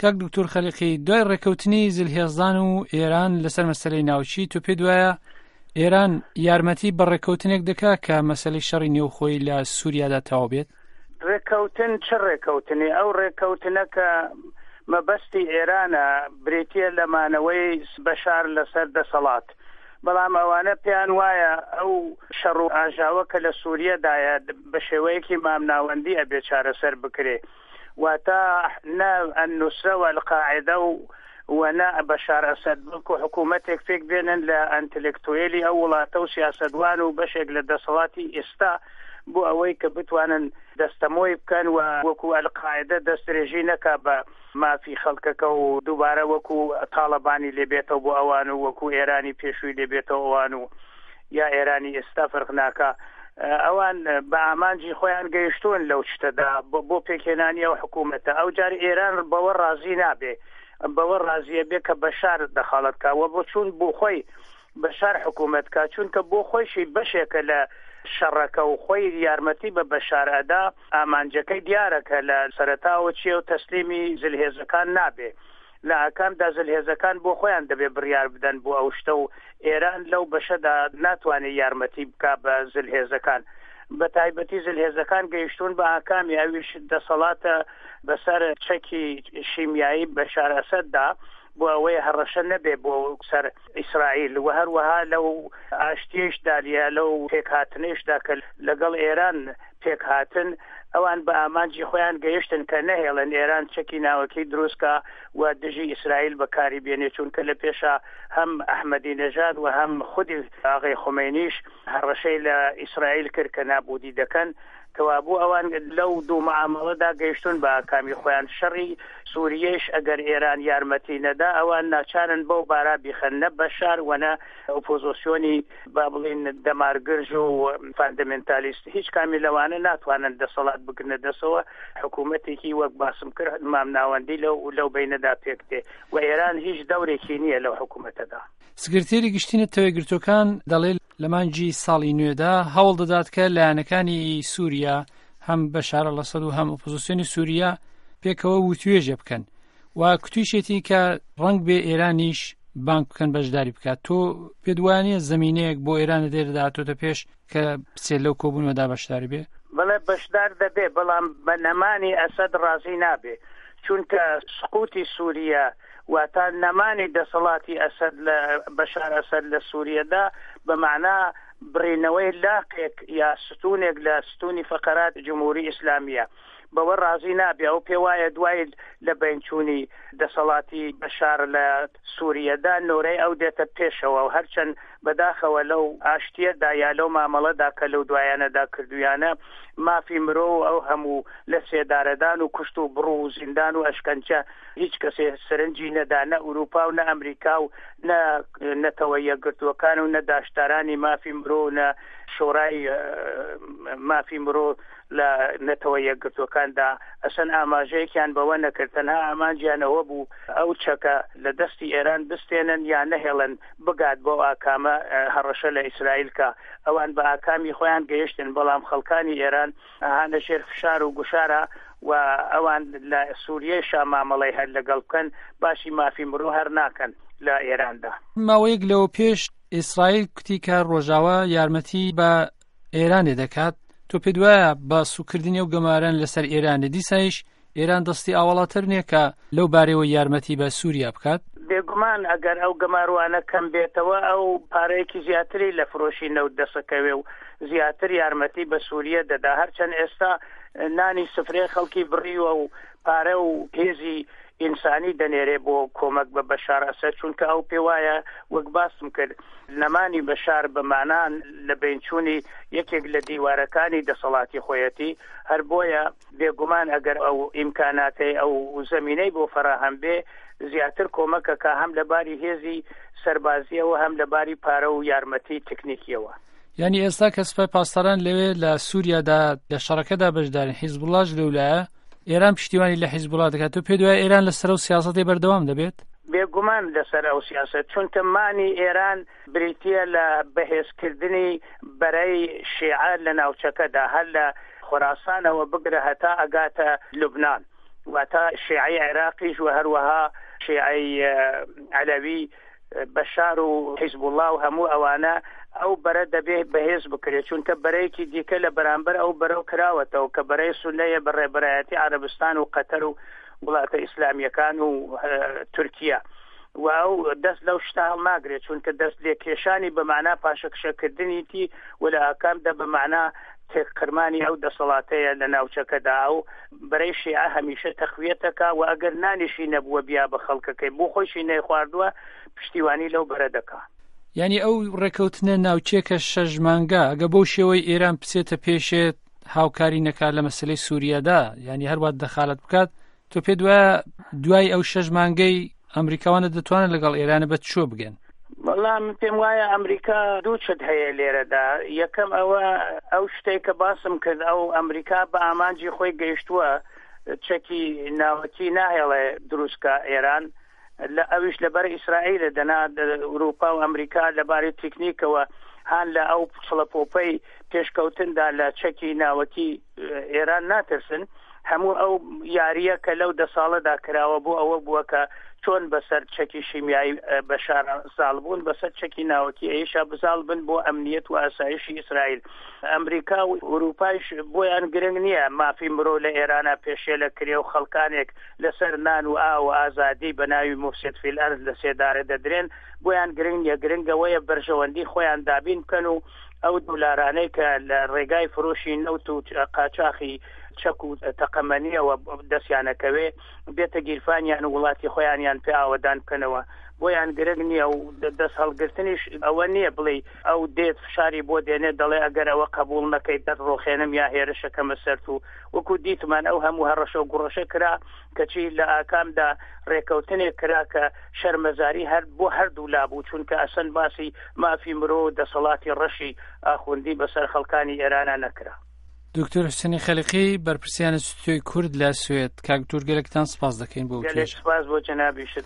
کاک دکتۆر خەلیقی دوای ڕێکەوتنی زلهێزان و ئێران لەسەر مەسەلەی ناوچی تۆ پێت وایە ئێران یارمەتی بە ڕێککەوتنێک دەکا کە مەسەلەی شەڕی نێوخۆی لە سووریادا تەواو بێت؟ ڕێککەوتن چ ڕێککەوتنێ؟ ئەو ڕێککەوتنە کە مەبەستی ئێرانە بریتییە لە مانەوەی بەشار لەسەر دەسەڵات. بەڵام ئەوانە پێیان وایە ئەو شەڕ و ئاژاوە کە لە سووریەدایە بە شێوەیەکی مامناوەندی ئەبێ چارەسەر بکرێ. واتە نە النوسرە و القاعدە و و نە بەشار ئەسەد بەڵکو حکوومەتێک پێک بێنن لە ئەنتلکتوێلی ئەو وڵاتە و سیاسەتوان و بەشێک لە دەسەڵاتی ئێستا بۆ ئەوەی کە بتوانن دەستەمۆی بکەن و وەکو ئەلقاعدە دەستدرێژی نەکا بە مافی خەڵکەکە و دووبارە وەکو تاڵەبانی لێ بێتەوە بۆ ئەوان و وەکو ئێرانی پێشووی لێ بێتەوە ئەوان و یا ئێرانی ئێستا فەرق ناکا ئەوان بە ئامانجی خۆیان گەیشتوون لەو شتەدا بۆ پێکهێنانی ئەو حکوومەتە ئەو جار ئێران بەوە ڕازی نابێ بەوە ڕازیە بێ کە بەشار دەخاڵەت کا وە بۆ چوون بۆ خۆی بەشار حکوومەت کا چونکە بۆ خۆیشی بەشێکە لە شەڕەکە و خۆی یارمەتی بە بەشار ئەدا ئامانجەکەی دیارە کە لە سەرەتاوە چیە و تەسلیمی زلهێزەکان نابێ لە ئاکامدا زلهێزەکان بۆ خۆیان دەبێ بڕیار بدەن بۆ ئەو شتە و ئێران لەو بەشەدا ناتوانێ یارمەتی بکا بە زلهێزەکان. بە تایبەتی زلهێزەکان گەیشتوون بە ئاکامی ئەویش دەسەڵاتە بەسەر چەکی شیمیایی بەشار ئەسەددا بۆ ئەوەی هەڕەشە نەبێ بۆ سەر ئیسرائیل و هەروەها لەو ئاشتیەیشدا یا لەو پێکهاتنەیشدا کە لەگەڵ ئێران پێکهاتن ئەوان بە ئامانجی خۆیان گەیشتن کە نەهێڵن ئێران چەکی ناوەکی دروست کا و دژی ئیسرائیل بەکاری بێنێ چونکە لە پێشا هەم ئەحمەدی نەژاد و هەم خودی ئاغەی خومەینیش هەڕەشەی لە ئیسرائیل کرد کە نابودی دەکەن کەوابوو ئەوان لەو دوو معامەڵەدا گەیشتون بە ئاکامی خۆیان شەڕی سوریەیش ئەگەر ئێران یارمەتی نەدا ئەوان ناچارن بەو بارا بیخەن نە بەشار و نە ئۆپۆزۆسیۆنی با بڵێین دەمارگرژ و فاندەمێنتالیست هیچ کامی لەوانە ناتوانن دەسەڵات بگرنە دەسەوە حکوومەتێکی وەک باسم کرد مامناوەندی لەو لەو بەینەدا پێک دێ و ئێران هیچ دەورێکی نییە لەو حکوومەتەدا. سکرتێری گشتی نەتەوەیەکگرتووەکان دەڵێ لە مانگی ساڵی نوێدا هەوڵ دەدات کە لایەنەکانی سووریا هەم بەشار ئەلئەسەد و هەم ئۆپۆزیسیۆنی سووریا پێکەوە وتوێژێ بکەن و کوتویشێتی کە ڕەنگ بێ ئێرانیش بانگ بکەن بەشداری بکات تۆ پێت وانە زمینەیەک بۆ ئێران دێردا هاتۆتە پێش کە بچێت لەو کۆبوونەوەدا بەشداری بێ؟ بەڵێ بەشدار دەبێ بەڵام بە نەمانی ئەسەد ڕازی نابێ چونکە سقوتی سووریە واتە نەمانی دەسەڵاتی ئەسەد لە بەشار ئەسەد لە سووریەدا بە مەعنا بڕینەوەی لاقێک یا ستوونێک لە ستوونی فەقەرات جمهوری ئیسلامیە بەوە ڕازی نابێ ئەو پێوایە دوای لە بەینچوونی دەسەڵاتی بەشار لە سووریەدا نۆرەی ئەو دێتە پێشەوە و هەرچەند بەداخەوە لەو ئاشتیەدا یا لەو مامەڵەدا کە لەو دوایانەدا کردویانە مافی مرۆ و ئەو هەموو لە سێدارەدان و کوشت و بڕ و زیندان و ئەشکەنجە هیچ کەسێ سەرنجی نەدا نە ئوروپا و نە ئەمریکا و نە نەتەوە یەکگرتووەکان و نە داشتارانی مافی مرۆ و نە شۆرای مافی مرۆ لە نەتەوە یەکگرتووەکاندا ئەسەن ئاماژەیەکیان بەوە نەکرد تەنها ئامانجیان ئەوە بوو ئەو چەکە لە دەستی ئێران بستێنن یا نەهێڵن بگات بەو ئاکامە هەڕەشە لە ئیسرائیل کا ئەوان بە ئاکامی خۆیان گەیشتن بەڵام خەڵکانی ئێران هانە ژێر فشار و گوشارە و ئەوان لە سووریەیشا مامەڵەی هەر لەگەڵ بکەن باسی مافی مرۆ هەر ناکەن لە ئێراندا. ماوەیەک لەوە پێش ئیسرائیل کوتی کە ڕۆژاوا یارمەتی بە ئێرانێ دەکات تۆ پێت وایە بە سوکردنی ئەو گەماران لەسەر ئێرانێ دیسایش ئێران دەستی ئاوەڵاتر نییە کە لەو بارەوە یارمەتی بە سووریا بکات؟ بێگومان ئەگەر ئەو گەماروانە کەم بێتەوە ئەو پارەیەکی زیاتری لە فرۆشی نەوت دەسەکەوێ و زیاتر یارمەتی بە سووریە دەدا هەرچەند ئێستا نانی سفرەی خەڵکی بڕیوە و پارە و هێزی ئینسانی دەنێرێ بۆ کۆمەک بە بەشار ئەسەد چونکە ئەو پێوایە وەک باسم کرد نەمانی بەشار بە مانا لە بەینچوونی یەکێک لە دیوارەکانی دەسەڵاتی خۆیەتی هەر بۆیە بێگومان ئەگەر ئەو ئیمکاناتەی ئەو زەمینەی بۆ فەراهەم بێ زیاتر کۆمەکەکە هەم لە باری هێزی سەربازیەوە هەم لە باری پارە و یارمەتی تکنیکیەوە. یانی ئێستا کە سوپای پاسداران لەوێ لە سووریادا لە شەڕەکەدا بەشدارن حیزبوڵاش لەولایە ئێران پشتیوانی لە حیزبوڵا دەکات تۆ پێت وایە ئێران لەسەر ئەو سیاسەتەی بەردەوام دەبێت؟ بێگومان لەسەر ئەو سیاسەت چونکە مانی ئێران بریتییە لە بەهێزکردنی بەرەی شیعە لە ناوچەکەدا هەر لە خۆراسانەوە بگرە هەتا ئەگاتە لوبنان. واتە شیعەی عێراقیش و هەروەها شیعەی عەلەوی بەشار و حیزبوڵا و هەموو ئەوانە ئەو بەرە دەبێ بەهێز بکرێت چونکە بەرەیەکی دیکە لە بەرامبەر ئەو بەرەو کراوەتەوە کە بەرەی سونەیە بە ڕێبەرایەتی عەرەبستان و قەتەر و وڵاتە ئیسلامیەکان و تورکیا و ئەو دەست لەو شتە هەڵناگرێت چونکە دەست لێکێشانی بە مەعنا پاشەکشەکردنیتی و لە ئاکامدا بە مەعنا تێکقرمانی ئەو دەسەڵاتەیە لە ناوچەکەدا ئەو بەرەی شیعە هەمیشە تەقویەتەکا و ئەگەر نانیشی نەبووە بیا بە خەڵکەکەی بۆ خۆیشی نەیخواردووە پشتیوانی لەو بەرە دەکا. یانی ئەو ڕێکەوتنە ناوچێ کە شەش مانگە ئەگە بەو شێوەی ئێران بچێتە پێشێ هاوکاری نەکات لە مەسلەی سووریادا یانی هەروات دەخالەت بکات تۆ پێت وایە دوای ئەو شەش مانگەی ئەمریکاوانە دەتوانن لەگەڵ ئێرانە بە چۆ بگەن؟ وەڵا من پێم وایە ئەمریکا دوو چت هەیە لێرەدا یەکەم ئەوە ئەو شتێک کە باسم کرد ئەو ئەمریکا بە ئامانجی خۆی گەیشتووە چەکی ناوەکی ناهێڵێ دروستکە ئێران لە ئەویش لەبەر ئیسرائیلە دەنا ئوروپا و ئەمریکا لەبارەی تیکنیکەوە هان لە ئەو چڵەپۆپەی پێشکەوتندا لە چەکی ناوەکی ئێران ناترسن هەموو ئەو یارییە کە لەو دە ساڵەدا کراوە بۆ ئەوە بووە کە چۆن بەسەر چەکی شیمیایی بەشار زاڵ بوون بەسەر چەکی ناوەکی ئەیشا بزاڵ بن بۆ ئەمنیەت و ئاسایشی ئیسرائیل ئەمریکا و ئوروپایش بۆیان گرنگ نییە مافی مرۆ لە ئێرانە پێشێلە کرێ و خەڵکانێک لەسەر نان و ئاو و ئازادی بە ناوی مفسد فی الارض لە سێدارە دەدرێن بۆیان گرنگ نییە گرنگ ئەوەیە بەرژەوەندی خۆیان دابین بکەن و ئەو دولارانەی کە لە ڕێگای فرۆشی نەوت و قاچاخی چەک و تەقەمەنیەوە دەستیانەکەوێ بێتە گیرفانیان و وڵاتی خۆیانیان پێ ئاوەدان بکەنەوە بۆیان گرنگ نییە و دەست هەڵگرتنیش ئەوە نییە بڵێ ئەو دێت فشاری بۆ دێنێت دەڵێ ئەگەر ئەوە قبوڵ نەکەیت دەتڕۆخێنم یا هێرشەکەمە سەرت و وەکو دیتمان ئەو هەموو هەڕەشە و گوڕەشە کرا کەچی لە ئاکامدا ڕێکەوتنێک کرا کە شەرمەزاری هەر بۆ هەردوو لا بوو چونکە ئەسەن باسی مافی مرۆ و دەسەڵاتی ڕەشی ئاخوندی بەسەر خەڵکانی ئێرانا نەکرا. دکتۆر حوسێنی خەلیقی بەرپرسیانی ستۆی کورد لە سوێد کاک دکتۆر گەلەکتان سپاس دەکەین بۆ گەلێک سپاس بۆ جەنابیشت.